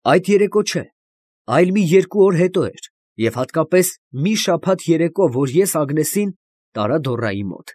Այդ երեկո չէ, այլ մի 2 օր հետո էր, և հատկապես մի շաբաթ երեկո, որ ես Ագնեսին տարա Դորայի մոտ։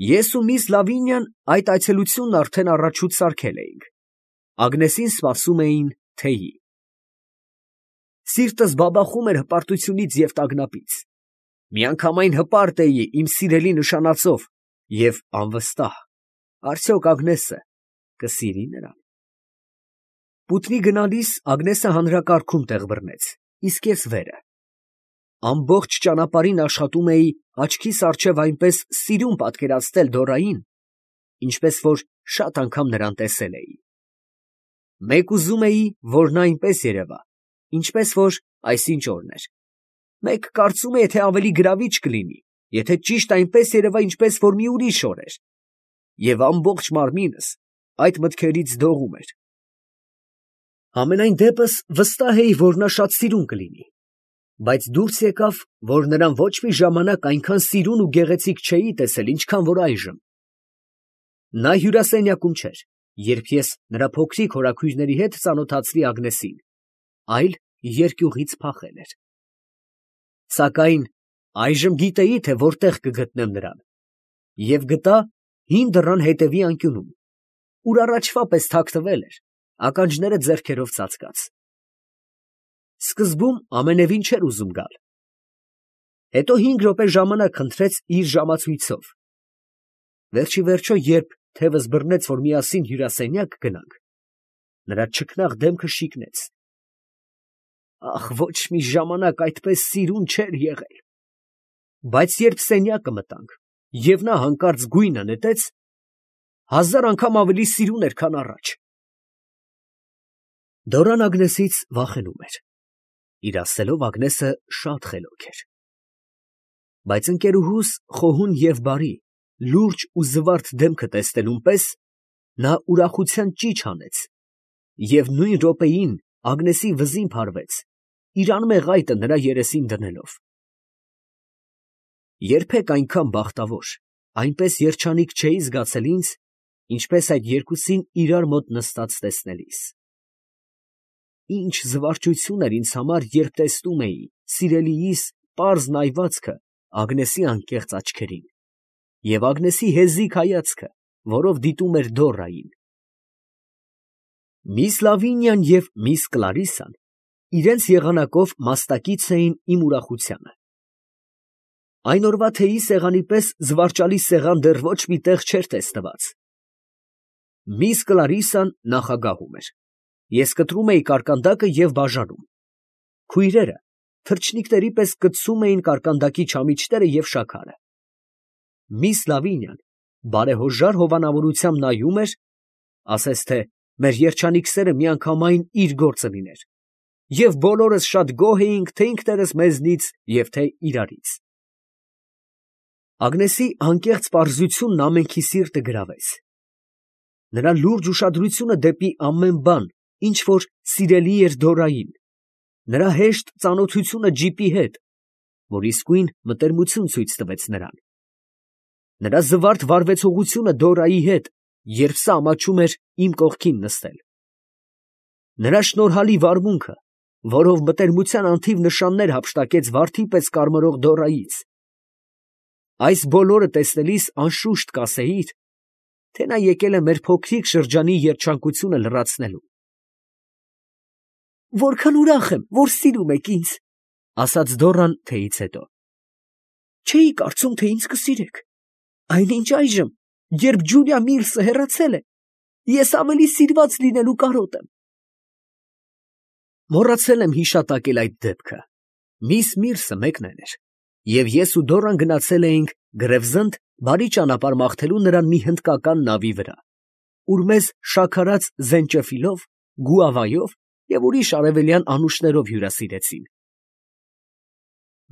Ես ու միս Լավինյան այդ այցելությունն արդեն առաջուց սարքել էինք. Ագնեսին սպասում էին թեյի։ Սիրտս բաբախում էր հպարտությունից և տագնապից. միանգամայն հպարտ էի իմ սիրելի նշանածով և անվստահ, արդյոք Ագնեսը կսիրի նրան։ Պուտնի գնալիս Ագնեսը հանրակարգում տեղ բռնեց, իսկ ես վերը։ Ամբողջ ճանապարհին աշխատում էի աչքիս առջև այնպես սիրուն պատկերացնել Դորային, ինչպես որ շատ անգամ նրան տեսել էի։ Մեկ ուզում էի, որ նա այնպես երևա, ինչպես որ այսինչ օրն էր։ Մեկ կարծում էի, թե ավելի գրավիչ կլինի, եթե ճիշտ այնպես երևա, ինչպես որ մի ուրիշ օր էր, և ամբողջ մարմինս այդ մտքերից դողում էր։ Համենայն դեպս վստահ էի, որ նա շատ սիրուն կլինի, բայց դուրս եկավ, որ նրան ոչ մի ժամանակ այնքան սիրուն ու գեղեցիկ չէի տեսել, ինչքան որ այժմ։ Նա հյուրասենյակում չէր, երբ ես նրա փոքրիկ հորաքույրների հետ ծանոթացրի Ագնեսին, այլ երկյուղից փախել էր։ Սակայն այժմ գիտեի, թե որտեղ կգտնեմ նրան, և գտա հին դռան հետևի անկյունում, ուր առաջվա պես թաքնվել էր, ականջները ձեռքերով ծածկած։ Սկզբում ամենևին չէր ուզում գալ։ Հետո 5 րոպե ժամանակ խնդրեց իր ժամացույցով։ Վերջիվերջո, երբ թևս բռնեց, որ միասին հյուրասենյակ գնանք, նրա չքնաղ դեմքը շիկնեց։ Ախ, ոչ մի ժամանակ այդպես սիրուն չէր եղել։ Բայց երբ սենյակը մտանք, և նա հանկարծ գույնը նետեց, 1000 անգամ ավելի սիրուն էր, քան առաջ։ Դորան Ագնեսից վախենում էր։ Իր ասելով Ագնեսը շատ խելոք էր։ Բայց ընկերուհուս խոհուն և բարի, լուրջ ու զվարթ դեմքը տեսնելուն պես, նա ուրախության ճիչ հանեց և նույն րոպեին Ագնեսի վզին փարվեց, իր անմեղ այտը նրա երեսին դնելով։ Երբեք այնքան բախտավոր, այնպես երջանիկ չէի զգացել ինձ, ինչպես այդ երկուսին իրար մոտ նստած տեսնելիս։ Ինչ զվարճություն էր ինձ համար, երբ տեսնում էի սիրելիիս պարզ նայվածքը Ագնեսի անկեղծ աչքերին և Ագնեսի հեզիգ հայացքը, որով դիտում էր Դորային։ Միս Լավինյան և միս Կլարիսան իրենց եղանակով մասնակից էին իմ ուրախությանը։ Այն օրվա թեյի սեղանի պես զվարճալի սեղան դեռ ոչ մի տեղ չէր տեսնված։ Միս Կլարիսան նախագահում էր։ Ես կտրում էի կարկանդակը և բաժանում։ Քույրերը թռչնիկների պես կծում էին կարկանդակի չամիչները և շաքարը։ Միս Լավինյան բարեհոժար հովանավորությամբ նայում էր, ասես թե մեր երջանիկ սերը միանգամայն իր գործը լիներ, և բոլորս շատ գոհ էինք թե ինքներս մեզնից և թե իրարից։ Ագնեսի անկեղծ պարզությունն ամենքի սիրտը գրավեց։ Նրա լուրջ ուշադրությունը դեպի ամեն բան, ինչ որ սիրելի էր Դորային, նրա հեշտ ծանոթությունը ջիպի հետ, որ իսկույն մտերմություն ցույց տվեց նրան, նրա զվարթ վարվեցողությունը Դորայի հետ, երբ սա ամաչում էր իմ կողքին նստել, նրա շնորհալի վարմունքը, որով մտերմության անթիվ նշաններ հափշտակեց վարդի պես կարմրող Դորայից, այս բոլորը տեսնելիս անշուշտ կասեիր, թե նա եկել է մեր փոքրիկ շրջանի երջանկությունը լրացնելու։ «Որքան ուրախ եմ, որ սիրում եք ինձ», ֊ ասաց Դորան թեյից հետո։ «Չէի կարծում, թե ինձ կսիրեք, այնինչ այժմ, երբ Ջուլիա Միլսը հեռացել է, ես ավելի սիրված լինելու կարոտ եմ»։ Մոռացել եմ հիշատակել այդ դեպքը։ Միս Միրսը մեկնել էր, և ես ու Դորան գնացել էինք Գրևզնդ բարի ճանապարհ մաղթելու նրան մի հնդկական նավի վրա, ուր մեզ շաքարած զենչեֆիլով, գուավայով և ուրիշ արևելյան անուշներով հյուրասիրեցին։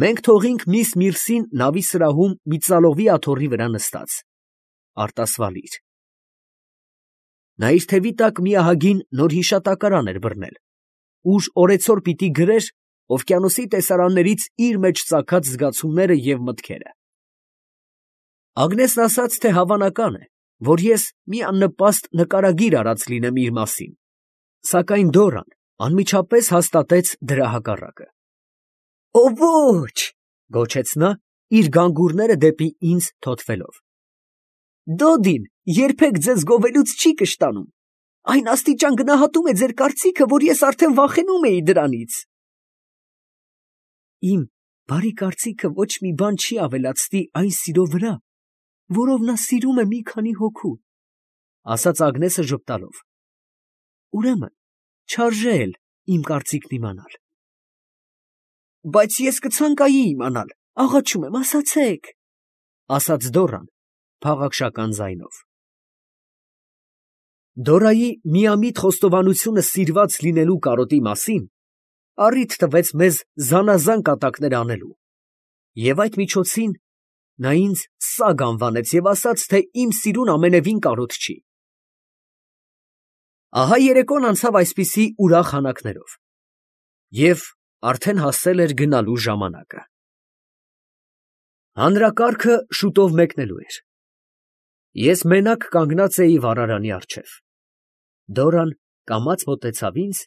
Մենք թողինք միս Միրսին նավի սրահում մի ծալովի աթոռի վրա նստած, արտասվալիր։ Նա իր թևի տակ մի ահագին նոր հիշատակարան էր բռնել, ուր օրեցօր պիտի գրեր օվկիանոսի տեսարաններից իր մեջ ծագած զգացումները և մտքերը։ Ագնեսն ասաց, թե հավանական է, որ ես մի աննպաստ նկարագիր արած լինեմ իր մասին, Սակայն Դորան անմիջապես հաստատեց դրա հակառակը։ «Օ ոչ», գոչեց նա, իր գանգուրները դեպի ինձ թոթվելով։ «Դոդին երբեք ձեզ գովելուց չի կշտանում. այն աստիճան գնահատում է ձեր կարծիքը, որ ես արդեն վախենում էի դրանից»։ Իմ բարի կարծիքը ոչ մի բան չի ավելացնի այն սիրո վրա, որով նա սիրում է մի քանի հոգու, ասաց Ագնեսը ժպտալով։ Ուրեմն չարժե էլ իմ կարծիքն իմանալ։ Բայց ես կցանկայի իմանալ, աղաչում եմ, ասացեք, ասաց Դորան փաղաքշական ձայնով։ Դորայի միամիտ խոստովանությունը սիրված լինելու կարոտի մասին առիթ տվեց մեզ զանազան կատակներ անելու, և այդ միջոցին նա ինձ սագ անվանեց և ասաց, թե իմ սիրուն ամենևին կարոտ չի։ Ահա երեկոն անցավ այսպիսի ուրախ հանակներով, և արդեն հասել էր գնալու ժամանակը։ Հանրակարգը շուտով մեկնելու էր։ Ես մենակ կանգնած էի վառարանի առջև։ Դորան կամաց մոտեցավ ինձ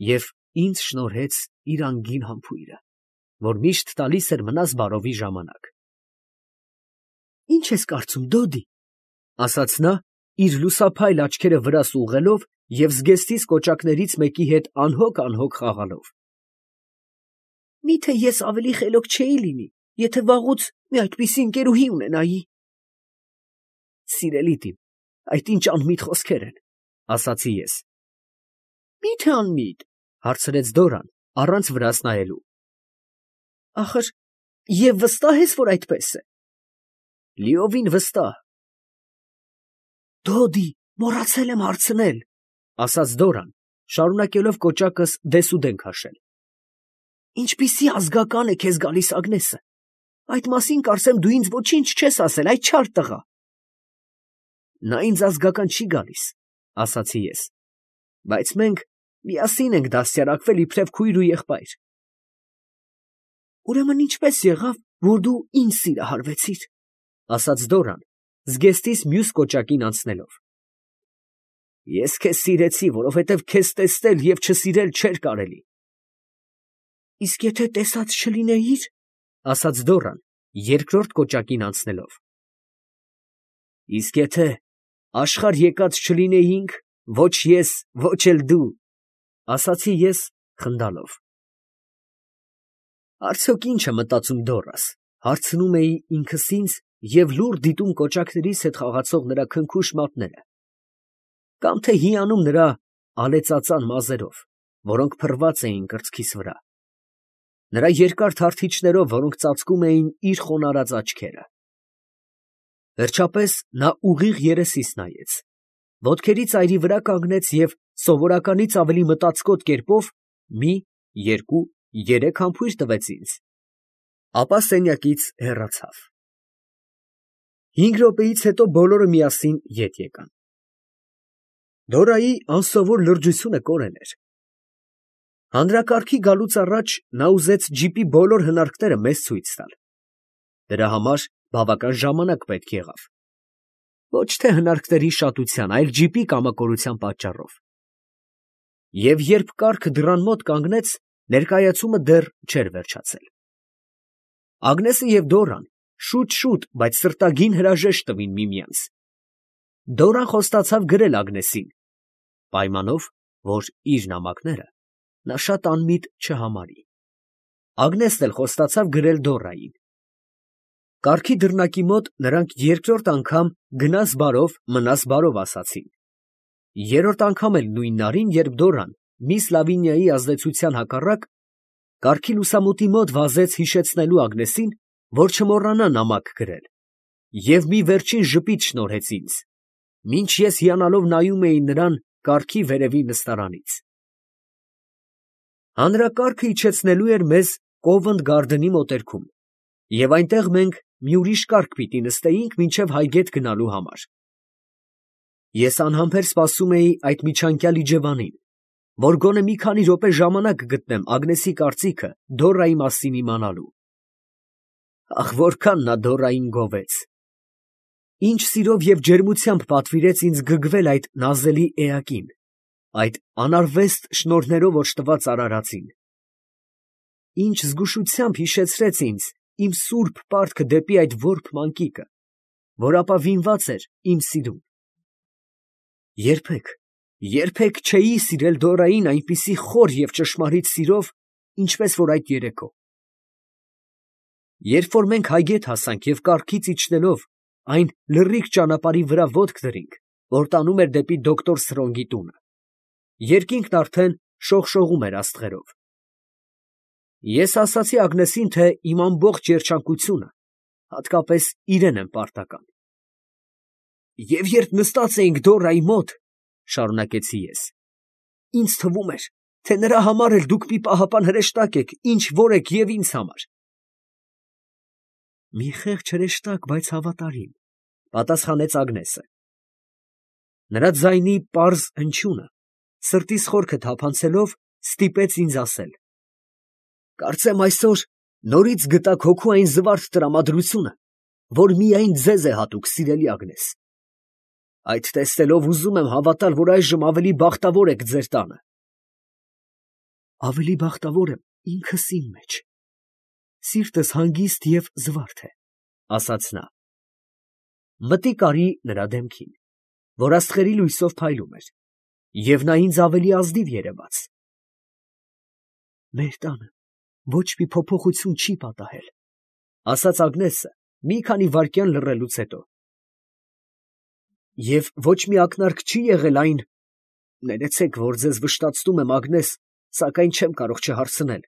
և ինձ շնորհեց իր անգին համբույրը, որ միշտ տալիս էր մնաս բարովի ժամանակ։ Ի՞նչ ես կարծում, Դոդի, ասաց նա, իր լուսափայլ աչքերը վրաս ուղղելով և զգեստիս կոճակներից մեկի հետ անհոգ խաղալով։ Միթե ես ավելի խելոք չէի լինի, եթե վաղուց մի այդպիսի ընկերուհի ունենայի։ Սիրելի տին, այդ ինչ անմիտ խոսքեր են, ասացի ես։ Միթե անմիտ, հարցրեց Դորան, առանց վրաս նայելու։ Ախր, և վստահ ես, որ այդպես է։ Լիովին վստահ։ Դոդի, մոռացել եմ հարցնել, ասաց Դորան, շարունակելով կոճակս դեսուդեն քաշել։ Ինչպիսի ազգական է քեզ գալիս Ագնեսը։ Այդ մասին կարծեմ դու ինձ ոչինչ չես ասել, այդ չար տղա։ Նա ինձ ազգական չի գալիս, ասացի ես, բայց մենք միասին ենք դաստիարակվել իբրև քույր ու եղբայր։ Ուրեմն ինչպես եղավ, որ դու ինձ սիրահարվեցիր, ասաց Դորան, զգեստիս մյուս կոճակին անցնելով։ Ես քեզ սիրեցի, որովհետև քեզ տեսնել և չսիրել չէր կարելի։ Իսկ եթե տեսած չլինեիր, ասաց Դորան, երկրորդ կոճակին անցնելով։ Իսկ եթե աշխարհ եկած չլինեինք, ոչ ես, ոչ էլ դու, ասացի ես խնդալով։ Արդյոք ի՞նչ է մտածում Դորաս, հարցնում էի ինքս ինձ և լուռ դիտում կոճակներիս հետ խաղացող նրա քնքուշ մատները, կամ թե հիանում նրա ալեծածան մազերով, որոնք փռված էին կրծքիս վրա, նրա երկար թարթիչներով, որոնք ծածկում էին իր խոնարհած աչքերը։ Վերջապես նա ուղիղ երեսիս նայեց, ոտքերի ծայրի վրա կանգնեց և սովորականից ավելի մտածկոտ կերպով մի, երկու, երեք համբույր տվեց ինձ, ապա սենյակից հեռացավ։ 5 րոպեից հետո բոլորը միասին ետ եկան։ Դորայի անսովոր լրջությունը կորել էր։ Հանրակարգի գալուց առաջ նա ուզեց ջիպի բոլոր հնարքները մեզ ցույց տալ։ Դրա համար բավական ժամանակ պետք եղավ։ Ոչ թե հնարքների շատության, այլ ջիպի կամակորության պատճառով։ Եվ երբ կառքը դռան մոտ կանգնեց, ներկայացումը դեռ չէր վերջացել։ Ագնեսը և Դորան շուտ, բայց սրտագին հրաժեշտ տվին միմյանց։ Դորան խոստացավ գրել Ագնեսին, պայմանով, որ իր նամակները նա շատ անմիտ չհամարի։ Ագնեսն էլ խոստացավ գրել Դորային։ Կառքի դռնակի մոտ նրանք երկրորդ անգամ գնաս բարով, մնաս բարով ասացին։ Երրորդ անգամ էլ նույն նարին, երբ Դորան, միս Լավինիայի ազդեցության հակառակ, կառքի լուսամուտի մոտ վազեց հիշեցնելու Ագնեսին, որ չմոռանա նամակ գրել, և մի վերջին ժպիտ շնորհեց ինձ, մինչ ես հիանալով նայում էի նրան կառքի վերևի նստարանից։ Հանրակարգը իջեցնելու էր մեզ Կովենտ Գարդենի մոտերքում, և այնտեղ մենք մի ուրիշ կառք պիտի նստեինք մինչև Հայգետ գնալու համար։ Ես անհամբեր սպասում էի այդ միջանկյալ իջևանին, որ գոնե մի քանի րոպե ժամանակ գտնեմ Ագնեսի կարծիքը Դորայի մասին իմանալու։ Ախ, որքան նա Դորային գովեց։ Ինչ սիրով և ջերմությամբ պատվիրեց ինձ գգվել այդ նազելի էակին, այդ անարվեստ շնորհներով օժտված արարածին։ Ինչ զգուշությամբ հիշեցրեց ինձ իմ սուրբ պարտքը դեպի այդ որբ մանկիկը, որ ապավինված էր իմ սիրուն։ Երբեք չէի սիրել Դորային այնպիսի խոր և ճշմարիտ սիրով, ինչպես որ այդ երեկո։ Երբ որ մենք հայգետ հասանք և կառքից իջնելով այն լռիկ ճանապարհի վրա ոտք դրինք, որ տանում էր դեպի դոկտոր Սրոնգի տունը, երկինքն արդեն շողշողում էր աստղերով։ Ես ասացի Ագնեսին, թե իմ ամբողջ երջանկությունը հատկապես իրեն եմ պարտական։ Եվ երբ նստած էինք Դորայի մոտ, շարունակեցի ես, ինձ թվում էր, թե նրա համար էլ դուք մի պահապան հրեշտակ եք, ինչ որ եք և ինձ համար։ Մի խեղճ հրեշտակ, բայց հավատարիմ, պատասխանեց Ագնեսը։ Նրա ձայնի պարզ հնչյունը, սրտիս խորքը թափանցելով, ստիպեց ինձ ասել. Կարծեմ այսօր նորից գտաք հոգու այն զվարթ տրամադրությունը, որ միայն ձեզ է հատուկ, սիրելի Ագնես։ Այդ տեսնելով ուզում եմ հավատալ, որ այժմ ավելի բախտավոր եք ձեր տանը։ Ավելի բախտավոր եմ ինքս իմ մեջ։ Սիրտս հանգիստ և զվարթ է, ասաց նա։ Մտիկ արի նրա դեմքին, որ աստղերի լույսով փայլում էր, և նա ինձ ավելի ազնիվ երևաց։ Մեր տանը ոչ մի փոփոխություն չի պատահել, ասաց Ագնեսը մի քանի վայրկյան լռելուց հետո։ Եվ ոչ մի ակնարկ չի եղել այն, ներեցեք, որ ձեզ վշտացնում եմ, Ագնես, սակայն չեմ կարող չհարցնել,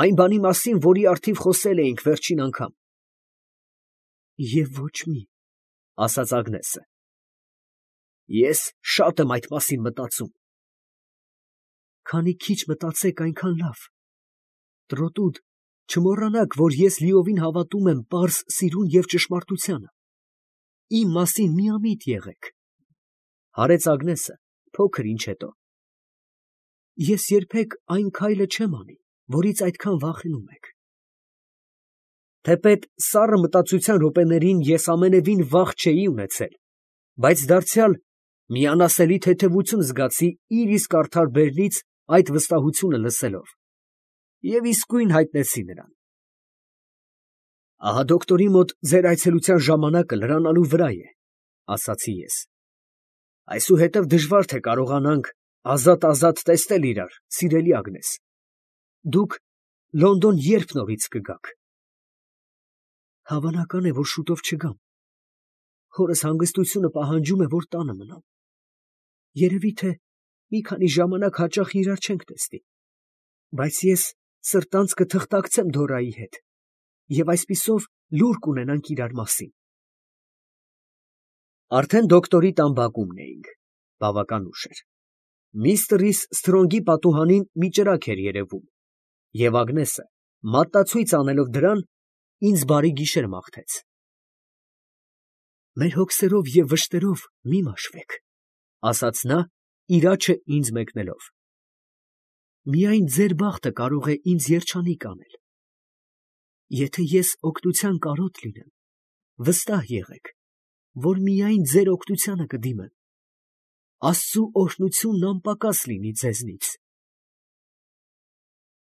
այն բանի մասին, որի առթիվ խոսել էինք վերջին անգամ։ Եվ ոչ մի, ասաց Ագնեսը։ Ես շատ եմ այդ մասին մտածում։ Քանի քիչ մտածեք, այնքան լավ։ Տրոտուդ, չմոռանաք, որ ես լիովին հավատում եմ պարզ սիրուն և ճշմարտությանը։ Իմ մասին միամիտ եղեք, հարեց Ագնեսը փոքր ինչ հետո։ Ես երբեք այն քայլը չեմ անի, որից այդքան վախենում եք։ Թեպետ սառը մտածության րոպեներին ես ամենևին վախ չէի ունեցել, բայց դարձյալ մի անասելի թեթևություն զգացի իր իսկ արդար բերնից այդ վստահությունը լսելով, և իսկույն հայտնեցի նրան։ Ահա դոկտորի մոտ ձեր այցելության ժամանակը լրանալու վրա է, ասացի ես։ Այսուհետև դժվար թե կարողանանք ազատ տեսնել իրար, սիրելի Ագնես։ Դուք Լոնդոն երբ նորից կգաք։ Հավանական է, որ շուտով չգամ։ Հորս հանգստությունը պահանջում է, որ տանը մնամ։ Երևի թե մի քանի ժամանակ հաճախ իրար չենք տեսնի, բայց ես սրտանց կթղթակցեմ Դորայի հետ, և այսպիսով լուր կունենանք իրար մասին։ Արդեն դոկտորի տան բակումն էինք, բավական ուշ էր։ Միստր Սթրոնգի պատուհանին մի ճրագ էր երևում, և Ագնեսը, մատնացույց անելով դրան, ինձ բարի գիշեր մաղթեց։ Մեր հոգսերով և վշտերով մի մաշվեք, ասաց նա, իր աջը ինձ մեկնելով։ Միայն ձեր բախտը կարող է ինձ երջանիկ անել։ Եթե ես օգնության կարոտ լինեմ, վստահ եղեք, որ միայն ձեր օգնությանը կդիմեմ։ Աստծու օրհնությունն անպակաս լինի ձեզնից։